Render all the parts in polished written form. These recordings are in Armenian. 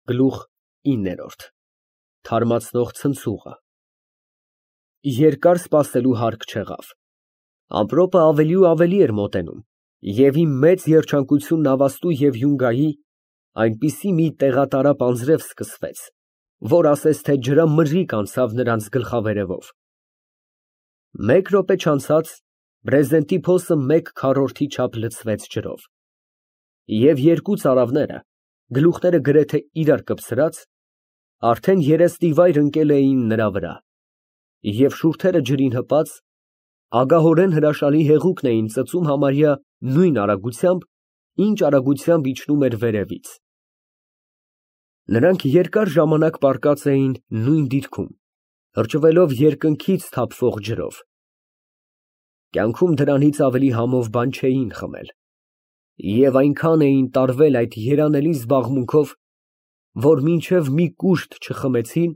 Գլուխ 9 Թարմացնող ցնցուղը Երկար սպասելու հարկ չեղավ։ Ամպրոպը ավելի ու ավելի էր մոտենում, և իմ մեծ երջանկություն Նավաստու և Յունգայի այնպիսի մի տեղատարապ անձրև սկսվեց, որ ասես թե ջրամրրիկ անցավ նրանց գլխավերևով։ Մեկ րոպե չանցած բրեզենտի փոսը 1/4 չափ լցվեց ջրով, և երկու ծարավները, գլուխները գրեթե իրար կպցրած, արդեն երեսնիվայր ընկել էին նրա վրա, և շուրթերը ջրին հպած, ագահորեն հրաշալի հեղուկն էին ծծում համարյա նույն արագությամբ, ինչ արագությամբ իջնում էր վերևից։ Նրանք երկար ժամանակ պառկած էին նույն դիրքում, հրճվելով երկնքից թափվող ջրով։ Կյանքում դրանից ավելի համով բան չէին խմել, և այնքան էին տարվել այդ երանելի զբաղմունքով, որ մինչև մի կուշտ չխմեցին,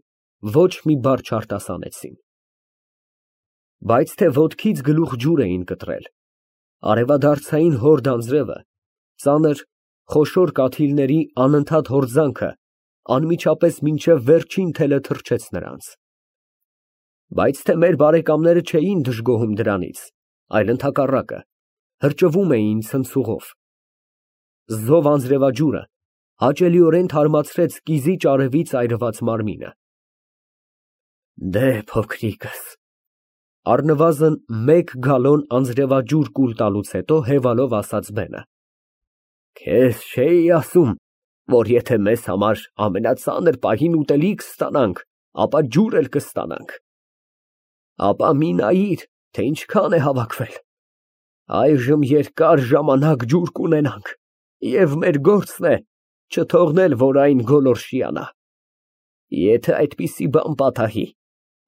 ոչ մի բառ չարտասանեցին։ Բայց թե ոտքից գլուխ ջուր էին կտրել, արևադարձային հորդ անձրևը, ծանր, խոշոր կաթիլների անընդհատ հորձանքը անմիջապես մինչև վերջին թելը թռչեց նրանց։ Բայց թե մեր բարեկամները չէին դժգոհում դրանից, այլ ընդհակառակը, հրճվում էին ցնցուղով։ Զով անձրևաջուրը հաճելիորեն թարմացրեց կիզիչ արևից այրված մարմինը։ Դե, փոքրիկս, առնվազն 1 գալոն անձրևաջուր կուլ տալուց հետո հևալով ասաց բենը, քեզ չէի ասում, որ եթե մեզ համար ամենածանր պահին ուտելիք ստանանք, ապա ջուր էլ կստանանք։ Ապա մի նայիր, թե ինչքան է հավաքվել։ Այժմ երկար ժամանակ ջուր կունենանք, և մեր գործն է չթողնել, որ այն գոլորշիանա։ Եթե այդպիսի բան պատահի,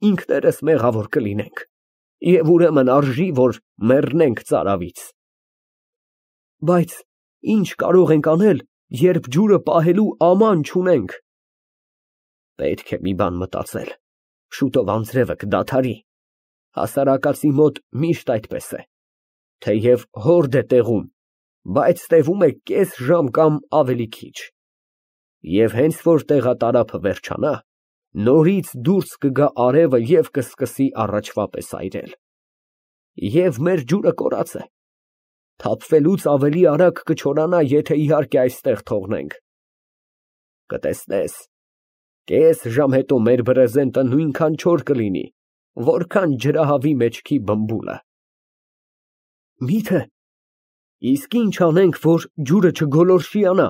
ինքներս մեղավոր կլինենք, և ուրեմն արժի, որ մեռնենք ծարավից։ Բայց ինչ կարող ենք անել, երբ ջուրը պահելու աման չունենք։ Պետք է մի բան մտածել, շուտով անձրևը կդադարի, հասարակածի մոտ միշտ այդպես է, թեև հորդ է տեղում, բայց տևում է կես ժամ կամ ավելի քիչ, և հենց որ տեղատարափը վերջանա, նորից դուրս կգա արևը և կսկսի առաջվա պես այրել։ Եվ մեր ջուրը կորած է, թափվելուց ավելի արագ կչորանա, եթե իհարկե այստեղ թողնենք։ Կտեսնես, կես ժամ հետո մեր բրեզենտը նույնքան չոր կլինի, որքան ջրահավի մեջքի բմբուլը։ Մի՞թե, իսկ ինչ անենք, որ ջուրը չգոլորշիանա։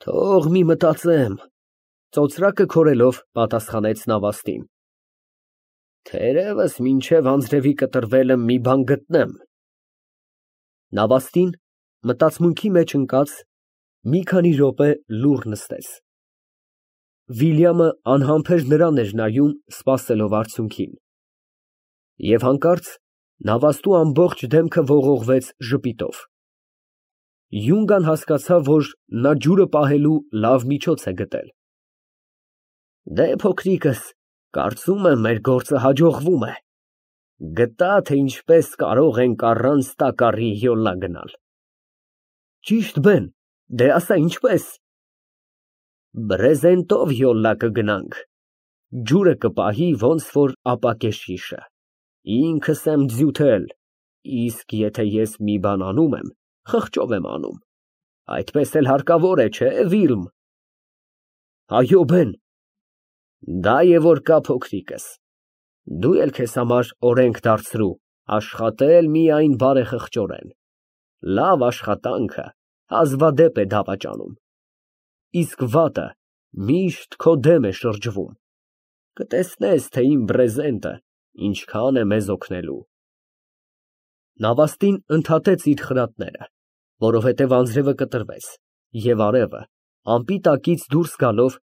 Թող մի մտածեմ, ծոծրակը քորելով պատասխանեց Նավաստին։ Թերևս մինչև անձրևի կտրվելը մի բան գտնեմ։ Նավաստին մտածմունքի մեջ ընկած մի քանի րոպե լուռ նստեց։ Վիլյամը անհամբեր նրան էր նայում, սպասելով արդյունքին։ Եվ հանկարծ Նավաստու ամբողջ դեմքը ողողվեց ժպիտով։ Յունգան հասկացավ, որ նա ջուրը պահելու լավ միջոց է գտել։ Դե, փոքրիկս, կարծում եմ, մեր գործը հաջողվում է։ Գտա, թե ինչպես կարող ենք առանց տակառի յոլա գնալ։ Ճիշտ բեն, դե ասա ինչպես։ Բրեզենտով յոլա կգնանք, ջուրը կպահի ոնց որ ապակե շիշը, ինքս եմ ձյութել, իսկ եթե ես մի բան անում եմ, խղճով եմ անում, այդպես էլ հարկավոր է, չէ՞, Վիլմ։ Այո, բեն։ Դա է որ կա, փոքրիկս, դու էլ քեզ համար օրենք դարձրու աշխատել միայն բարեխղճորեն, լավ աշխատանքը հազվադեպ է դավաճանում, իսկ վատը միշտ քո դեմ է շրջվում, կտեսնես, թե իմ բրեզենտը ինչքան է մեզ օգնելու։ Նավաստին ընդհատեց իր խրատները, որովհետև անձրևը կտրվեց, և արևը, ամպի տակից դուրս գալով,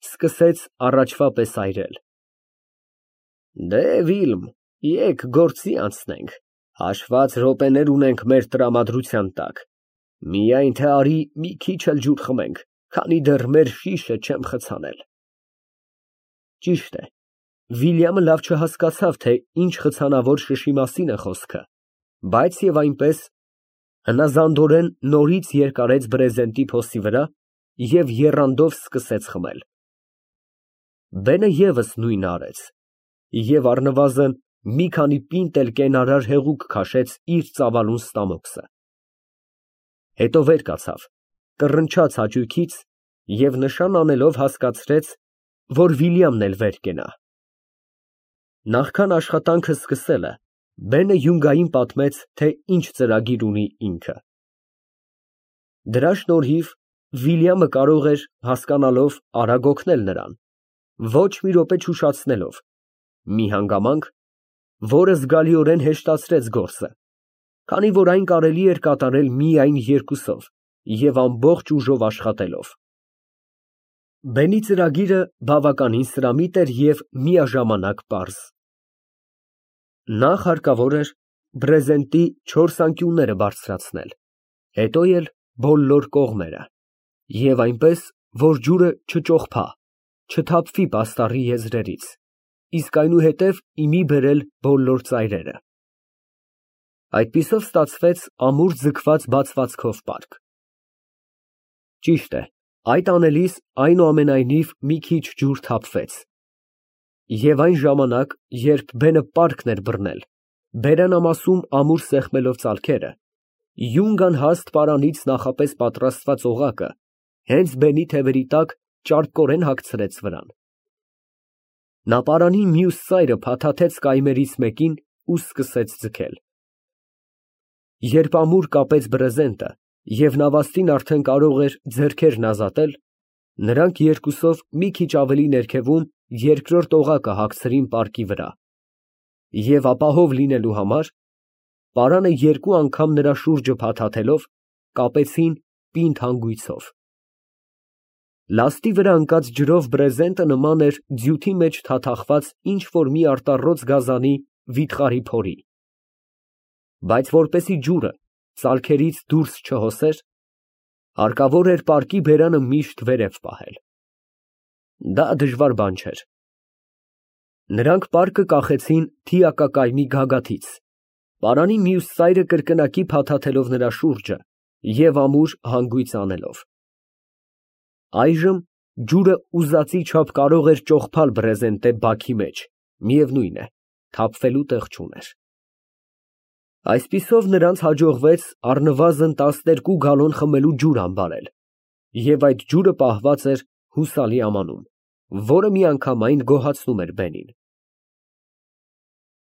սկսեց առաջվա պես այրել։ Դե, Վիլմ, եկ գործի անցնենք, հաշված րոպեներ ունենք մեր տրամադրության տակ, միայն թե արի մի քիչ էլ ջուր խմենք, քանի դեռ մեր շիշը չեմ խցանել։ Ճիշտ է, Վիլյամը լավ չհասկացավ, թե ինչ խցանավոր շշի մասին է խոսքը, բայց և այնպես հնազանդորեն նորից երկարեց բրեզենտի փոսի վրա և եռանդով սկսեց խմել։ Բենը ևս նույնը արեց և առնվազն մի քանի պինտ էլ կենարար հեղուկ քաշեց իր ծավալուն ստամոքսը։ Հետո վեր կացավ, կռնչաց հաճույքից և նշան անելով հասկացրեց, որ Վիլյամն էլ վեր կենա։ Նախքան աշխատանքը սկսելը, Բենը Յունգային պատմեց, թե ինչ ծրագիր ունի ինքը։ Դրա շնորհիվ Վիլյամը կարող էր, հասկանալով, արագ օգնել նրան, ոչ մի րոպե չուշացնելով, մի հանգամանք, որը զգալիորեն հեշտացրեց գործը, քանի որ այն կարելի էր կատարել միայն երկուսով և ամբողջ ուժով աշխատելով։ Բենի ծրագիրը բավականին սրամիտ էր և միաժամանակ պարզ։ Նախ հարկավոր էր բրեզենտի 4 անկյունները բարձրացնել, հետո էլ բոլոր կողմերը, և այնպես, որ ջուրը չճոխփա, չթափվի պաստառի եզրերից, իսկ այնուհետև ի մի բերել բոլոր ծայրերը։ Այդպիսով ստացվեց ամուր ձգված բացվածքով պարկ։ Ճիշտ է, այդ անելիս այնուամենայնիվ մի քիչ ջուր թափվեց։ Եվ այն ժամանակ, երբ Բենը պարկն էր բռնել, բերանամասում ամուր սեղմելով ծալքերը, Յունգան հաստ պարանից նախապես պատրաստված օղակը հենց Բենի թևերի տակ ճարպկորեն հագցրեց վրան։ Նա պարանի մյուս ծայրը փաթաթեց կայմերից մեկին ու սկսեց ձգել։ Երբ ամուր կապեց բրեզենտը և նավաստին արդեն կարող էր ձեռքերն ազատել, նրանք երկուսով մի քիչ ավելի ներքևում երկրորդ օղակը հագցրին պարկի վրա և ապահով լինելու համար, պարանը երկու անգամ նրա շուրջը փաթաթելով, կապեցին պինդ հանգույցով։ Լաստի վրա ընկած ջրով բրեզենտը նման էր ձյութի մեջ թաթախված ինչ֊որ մի արտառոց գազանի վիթխարի փորի, բայց որպեսզի ջուրը ծալքերից դուրս չհոսեր, հարկավոր էր պարկի բերանը միշտ վերև պահել։ Դա դժվար բան չէր։ Նրանք պարկը կախեցին թիակակայմի գագաթից, պարանի մյուս ծայրը կրկնակի փաթաթելով նրա շուրջը և ամուր հանգույց անելով։ Այժմ ջուրը ուզածի չափ կարող էր ճոխփալ բրեզենտե բաքի մեջ, միևնույն է, թափվելու տեղ չուներ։ Այսպիսով նրանց հաջողվեց առնվազն 12 գալոն խմելու ջուր համբարել, և այդ ջուրը պահված էր հուսալի ամանում, որը միանգամայն գոհացնում էր Բենին։